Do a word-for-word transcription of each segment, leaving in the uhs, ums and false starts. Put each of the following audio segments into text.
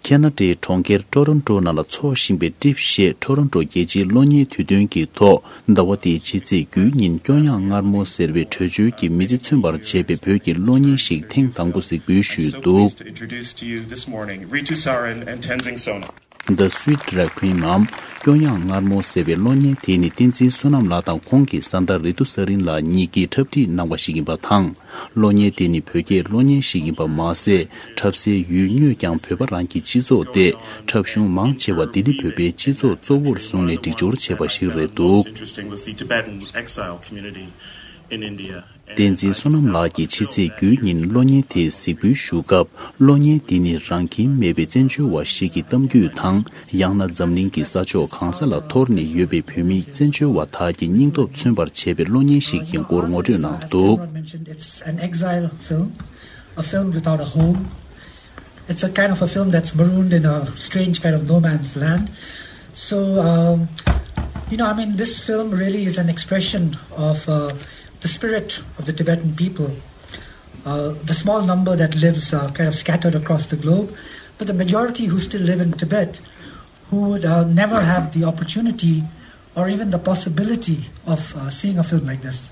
ཁེ་ན་ཌའི་གྲོང་ཁྱེར་ཊོ་རོན་ཊོ་ནང་ལ་འཚོགས་བཞིན་པའི་ཊིཕ་ཞེས་ཊོ་རོན་ཊོ་རྒྱལ་སྤྱིའི་གློག་བརྙན་དུས་སྟོན་གྱི་ཐོག་ཟླ་བ་འདིའི་ཕྱི་ཚེས་དགུའི་ཉིན་སྐྱོ་ཡངས་མངར་མོ་ཟེར་བའི་བྲོས་བྱོལ་གྱི་མི་ཚེ་མཚོན་པར་བྱས་པའི་བོད་ཀྱི་གློག་བརྙན་ཞིག་ཐེངས་དང་པོ་གཟིགས་འབུལ་ཞུས་འདུག Introduce to you this morning Ritu Sarin and Tenzing Sonam. The Sweet Red Queen Mom། སྐྱོ་ཡངས་མངར་མོ་ཟེར་བའི་གློག་བརྙན་དེ་ནི་བསྟན་འཛིན་བསོད་ནམས་ལགས་དང་ཁོང་གི་བཟའ་ཟླ་རི་ཏུ་ས་རིན་ལགས་གཉིས་ཀྱིས་འཁྲབ་ཁྲིད་གནང་བ་ཞིག་ཡིན་པ་དང་། གློག་བརྙན་དེ་ནི་བོད་སྐད་གློག་བརྙན་ཞིག་ཡིན་པ་མ་ཟད། འཁྲབ་སའི་ཡུལ་དངོས་ཀྱང་བོད་པ་རང་གི་སྤྱི་ཚོགས་ཏེ། འཁྲབ་གཞུང་མང་ཆེ་བ་ལྡི་ལི་བོད་པའི་སྤྱི་ཚོགས་གཙོ་བོར་བཟུང་ནས་སྒྲིག་སྦྱོར་བྱས་པ་ཞིག་རེད་འདུག Interesting was the Tibetan exile community in India. བསྟན་འཛིན་བསོད་ནམས་ལགས་ཀྱིས་ཕྱི་ཚེས་དགུའི་ཉིན་གློག་བརྙན་དེ་གཟིགས་འབུལ་ཞུ་སྐབས། གློག་བརྙན་འདི་ནི་རང་ཁྱིམ་མེད་པའི་བཙན་བྱོལ་བ་ཞིག་གི་གཏམ་རྒྱུད་དང་། ཡང་ན་འཛམ་གླིང་གི་ས་ཕྱོགས་གང་ས་ལ་འཐོར་ནས་ཡོད་པའི་བོད་མི་བཙན་བྱོལ་བ་དག་གི་སྙིང་སྟོབས་མཚོན་པར་བྱས་པའི་གློག་བརྙན་ཞིག་ཡིན་སྐོར་ངོ་སྤྲོད་གནང་འདུག As Cameron mentioned, it's an exile film, a film without a home. It's a kind of a film that's marooned in a strange kind of no man's land. So, um, you know, I mean, this film really is an expression of uh, the spirit of the Tibetan people. Uh, the small number that lives uh, kind of scattered across the globe, but the majority who still live in Tibet, who would uh, never have the opportunity or even the possibility of uh, seeing a film like this.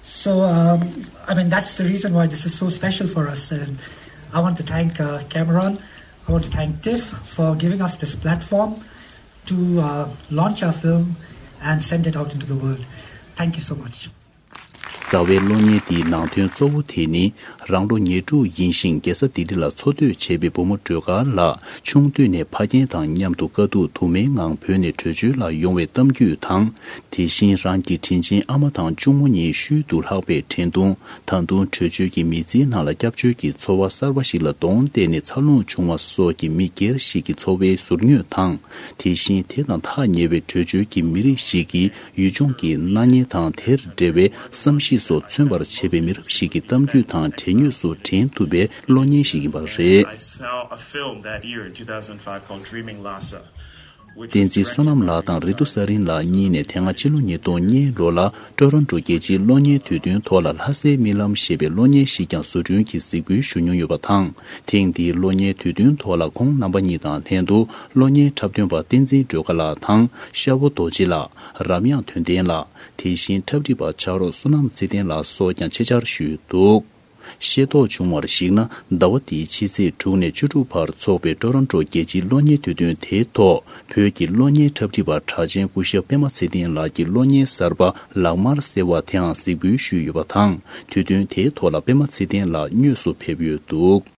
So, um, I mean, that's the reason why this is so special for us. And I want to thank uh, Cameron, I want to thank TIFF for giving us this platform to uh, launch our film and send it out into the world. Thank you so much. རྩ་བའི་གློག་བརྙན་འདིའི་ནང་དོན་གཙོ་བོ་དེ་ནི། རང་ལོ་ཉེར་དྲུག་ཡིན་ཞིང་རྒྱལ་ས་ལྡི་ལི་ལ་འཚོ་སྡོད་བྱེད་པའི་བུ་མོ་སྒྲོལ་དཀར་ལགས། ཆུང་དུས་ནས་ཕ་རྒན་དང་མཉམ་དུ་དཀའ་སྡུག་དུ་མའི་ངང་བོད་ནས་བྲོས་བྱོལ་ལ་ཡོང་བའི་གཏམ་རྒྱུད་དང་། དེ་བཞིན་རང་གི་དྲིན་ཆེན་ཨ་མ་དང་གཅུང་མོ་གཉིས་ཤུལ་དུ་ལྷག་པའི་དྲན་གདུང་། ད་དུང་བྲོས་བྱོལ་གྱི་མི་ཚེའི་ནང་ལ་སྐྱབས་བཅོལ་གྱི་འཚོ་བ་གསར་པ་ཞིག་ལ་གདོང་གཏད་ནས་འཚར་ལོངས་བྱུང་བ་སོགས་ཀྱི་མི་སྒེར་ཞིག་གི་འཚོ་བའི་ཟུར་ཉོས་དང་། དེ་བཞིན་དེ་དང་ཐག་ཉེ་བའི་བྲོས་བྱོལ་གྱི་མི་རིགས་ཤིག་གི་ཡུལ་ལྗོངས་ཀྱི་སྣང་བརྙན་དང་དེར་འབྲེལ་བའི་བསམ་གཞིག་སོགས་མཚོན་པར་བྱེད་པའི་མི་རབས་ཤིག་གི་གཏམ་རྒྱུད་དང་འབྲེལ་དངོས་སུ་དྲན་ཐུབ་པའི་གློག་བརྙན་ཞིག་ཡིན་པ་རེད། I saw a film that year in two thousand five called Dreaming Lhasa, which བསྟན་འཛིན་བསོད་ནམས་ལགས་དང་རི་ཏུ་ས་རིན་ལགས་གཉིས་ནས་དེ་སྔ་ཕྱི་ལོ་ཉིས་སྟོང་གཉིས་ལོ་ལ་ཊོ་རོན་ཊོ་རྒྱལ་སྤྱིའི་གློག་བརྙན་དུས་སྟོན་ཐོག་ལ་ལྷ་སའི་རྨི་ལམ་ཞེས་པའི་གློག་བརྙན་ཞིག་ཀྱང་བཟོ་སྐྲུན་གྱིས་གཟིགས་འབུལ་ཞུ་མྱོང་ཡོད་པ་དང་། ཐེངས་འདིའི་གློག་བརྙན་དུས་སྟོན་ཐོག་ལ་ཁོང་རྣམ་པ་གཉིས་དང་ལྷན་དུ་གློག་བརྙན་འཁྲབ་སྟོན་པ་བསྟན་འཛིན་སྒྲོལ་དཀར་ལགས་དང་ཤ་བོ་རྡོ་རྗེ་ལགས། རབ་དབྱངས་དོན་ལྡན་ལགས། དེ་བཞིན་འཁྲབ་ཁྲིད་པ་ཕྱག་རོགས་བསོད་ནམས་ཚེ་བརྟན་ལགས་སོགས་ཀྱང་ཆེད་བཅར་ཞུས་འདུག་ཤེས་རྟོགས་བྱུང་བར་གཞིགས་ན། ཟླ་བ་འདིའི་ཕྱི་ཚེས་དྲུག་ནས་བཅུ་དྲུག་བར་འཚོགས་པའི་ཊོ་རོན་ཊོ་རྒྱལ་སྤྱིའི་གློག་བརྙན་དུས་སྟོན་དེའི་ཐོག་བོད་ཀྱི་གློག་བརྙན་འཁྲབ་ཁྲིད་པ་གྲགས་ཅན་སྐུ་ཞབས་པད་མ་ཚེ་བརྟན་ལགས་ཀྱི་གློག་བརྙན་གསར་པ་ལག་དམར་ཟེར་བ་དེའང་གཟིགས་འབུལ་ཞུས་ཡོད་པ་དང་། དུས་སྟོན་དེའི་ཐོག་ལ་པད་མ་ཚེ་བརྟན་ལགས་དངོས་སུ་ཕེབས་ཡོད་འདུག